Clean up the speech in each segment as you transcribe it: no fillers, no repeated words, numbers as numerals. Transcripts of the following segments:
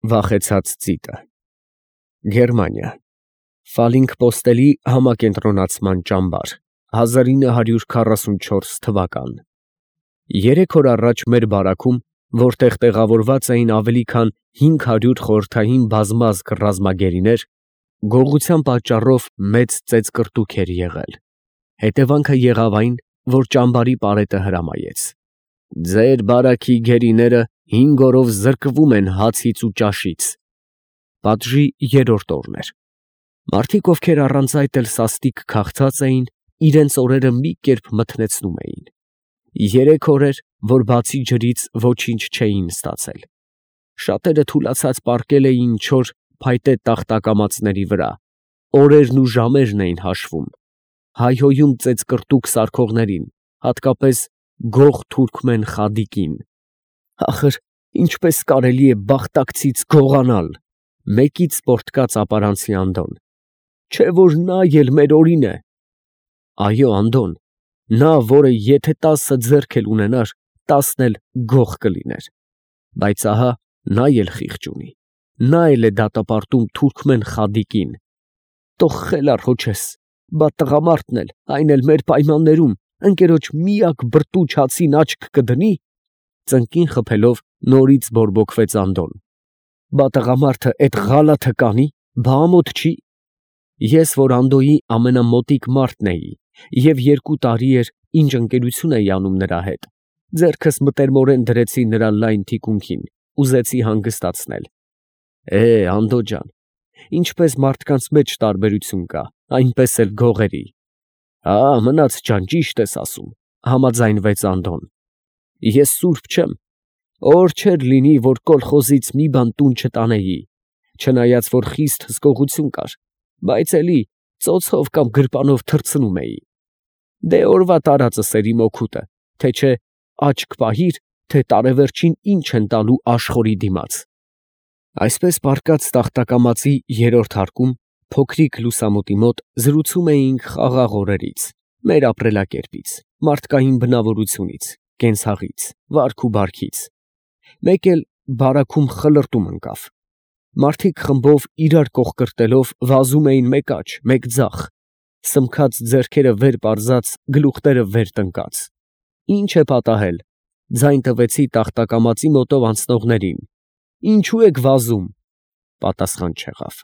Վախեցած ծիտը։ Գերմանիա։ Ֆալինգ պոստելի համակենտրոնացման ճամբար 1944 թվական։ 3 օր առաջ մեր բարաքում, որտեղ տեղավորված էին ավելի քան 500 խորհրդային բազմազգ ռազմագերիներ, գողության պատճառով մեծ ծեծկռտուք էր եղել։ Հետևանքը եղավ այն, որ ճամբարի պարետը հրամայեց. «Ձեր բարաքի գերիները 5 օրով զրկվում են հացից ու ճաշից»։ Պատժի 3-րդ օրն էր։ Մարդիկ, ովքեր առանց այդ էլ սաստիկ քաղցած էին, իրենց օրերը մի կերպ մթնեցնում էին։ 3 օր էր, որ բացի ջրից ոչինչ չէին ստացել։ Շատերը թուլացած պառկել էին չոր փայտե տախտակամածների վրա, օրերն ու ժամերն էին հաշվում, հայհոյում ծեծկռտուք սարքողներին, հատկապես գող թուրքմեն Խադիկին։ Ախր ինչպես կարելի է բախտակցից գողանալ, մեկից պոռթկաց ապարանցի Անդոն։ Չէ որ նա էլ մեր օրին է։ Այո, Անդոն, նա, որը եթե 10 ձեռք էլ ունենար, 10 էլ գող կլիներ։ Բայց ահա նա էլ խիղճ ունի, նա էլ է դատապարտում թուրքմեն Խադիկին։ Թող խելառ հոչես, բա տղամարդն էլ, այն էլ մեր պայմաններում, ընկերոջ միակ բրտուճ հացին աչք կդնի։ Ծնկին խփելով նորից բորբոքվեց Անդոն։ Բա տղամարդը էդ ղալաթը կանի, բա ամոթ չի։ Ես, որ Անդոյի ամենամոտիկ մարդն էի, և 2 տարի էր, ինչ ընկերություն էի անում նրա հետ, ձեռքս մտերմորեն դրեցի նրա լայն թիկունքին, ուզեցի հանգստացնել։ Անդո ջան, ինչպես մարդկանց մեջ տարբերություն կա, այնպես էլ գողերի։ Մնաց ջան, ճիշտ ես ասում, համաձայնվեց Անդոն։ Ես սուրբ չեմ, օր չէր լինի, որ կոլխոզից մի բան տուն չտանեի, չնայած որ խիստ հսկողություն կար, բայց էլի ծոցով կամ գրպանով թռցնում էի։ Դե օրվա տարածս էր իմ օգուտը, թե չէ աչք պահիր, թե տարեվերջին ինչ են տալու աշխորհի դիմաց։ Այսպես պառկած տախտակամածի 3-րդ հարկում, փոքրիկ լուսամուտի մոտ զրուցում էինք խաղաղ օրերից, մեր ապրելակերպից, մարդկային բնավորությունից, կենցաղից, վարք ու բարքից։ Մեկ էլ բարաքում խլրտում ընկավ։ Մարդիկ խմբով իրար կողկրտելով վազում էին մեկ աջ, մեկ ձախ, սմքած ձեռքերը վեր պարզած, գլուխները վեր տնկած։ Ինչ է պատահել, ձայն տվեցի տախտակամածի մոտով անցնողներին։ Ինչու եք վազում։ Պատասխան չեղավ։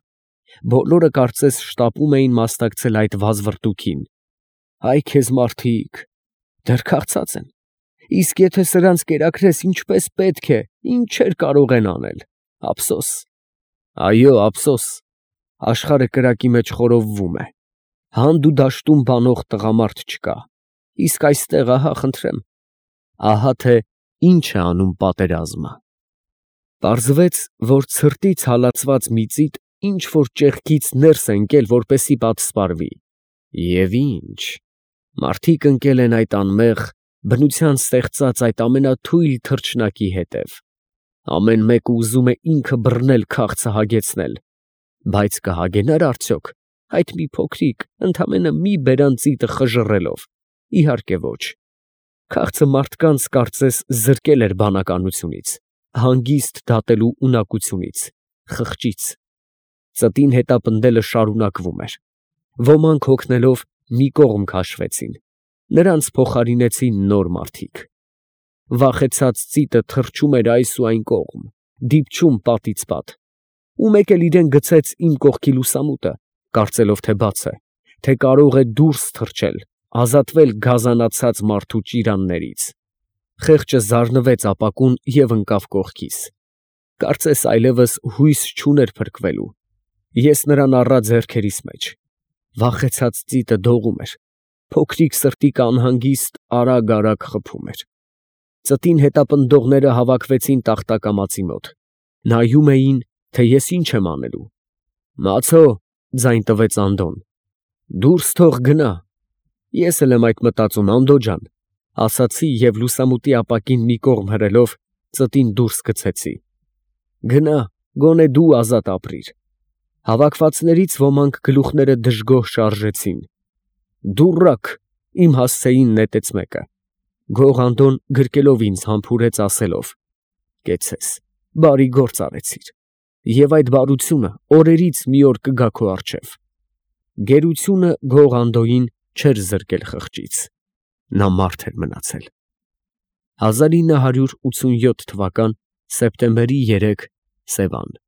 Բոլորը կարծես շտապում էին մասնակցել այդ վազվռտուքին։ Հայ քեզ մարդիկ, դեռ քաղցած են։ Իսկ եթե սրանց կերակրես ինչպես պետք է, ինչեր կարող են անել։ Ափսոս։ Այո, ափսոս։ Աշխարհը կրակի մեջ խորովվում է։ Հանդ ու դաշտում բանող տղամարդ չկա։ Իսկ այստեղ ահա խնդրեմ, ահա թե ինչ է անում պատերազմը։ Պարզվեց, որ ցրտից հալածված մի ծիտ ինչ որ ճեղքից ներս է ընկել, որպեսի պատսպարվի։ Եվ ինչ։ Մարդիկ ընկել են այդ անմեղ, բնության ստեղծած այդ ամենաթույլ թռչնակի հետև։ Ամեն մեկը ուզում է ինքը բռնել քաղցը հագեցնել։ Բայց կհագենա՞ր արդյոք այդ մի փոքրիկ, ընդամենը մի բերան ծիտը խժռելով։ Իհարկե ոչ։ Քաղցը մարդկանց կարծես զրկել էր բանականությունից, հանգիստ դատելու ունակությունից, խղճից։ Ծտին հետապնդելը շարունակվում էր։ Ոմանք հոգնելով մի կողմ քաշվեցին, նրանց փոխարինեցին նոր մարդիկ։ Վախեցած ծիտը թռչում էր այս ու այն կողմ, դիպչում պատից պատ։ Ու մեկ էլ իրեն գցեց իմ կողքի լուսամուտը, կարծելով թե բաց է, թե կարող է դուրս թռչել, ազատվել գազանացած մարդու ճիրաններից։ Խեղճը զարնվեց ապակուն և ընկավ կողքիս։ Կարծես այլևս հույս չուներ փրկվելու։ Ես նրան առա ձեռքերիս մեջ։ Վախեցած ծիտը դողում էր։ Փոքրիկ սրտիկը անհանգիստ արագ խփում էր։ Ծտին հետապնդողները հավաքվեցին տախտակամածի մոտ։ Նայում էին, թե ես ինչ եմ անելու։ Մացո, ձայն տվեց Անդոն։ Դուրս թող գնա։ Ես էլ եմ այդ մտածում, Անդո ջան, ասացի և լուսամուտի ապակին մի կողմ հրելով, ծտին դուրս գցեցի։ Գնա, գոնե դու ազատ ապրիր։ Հավաքվածներից ոմանք գլուխները դժգոհ շարժեցին։ Դուռակ, իմ հասցեին նետեց մեկը։ Գող Անդոն գրկելով ինձ համբուրեց ասելով. Կեցցես, բարի գործ արեցիր։ և այդ բարությունը օրերից մի օր կգա քո առջև։ Գերությունը գող Անդոյին չէր զրկել խղճից. նա մարդ էր մնացել։ 1987 թվական սեպտեմբերի 3 Սևան։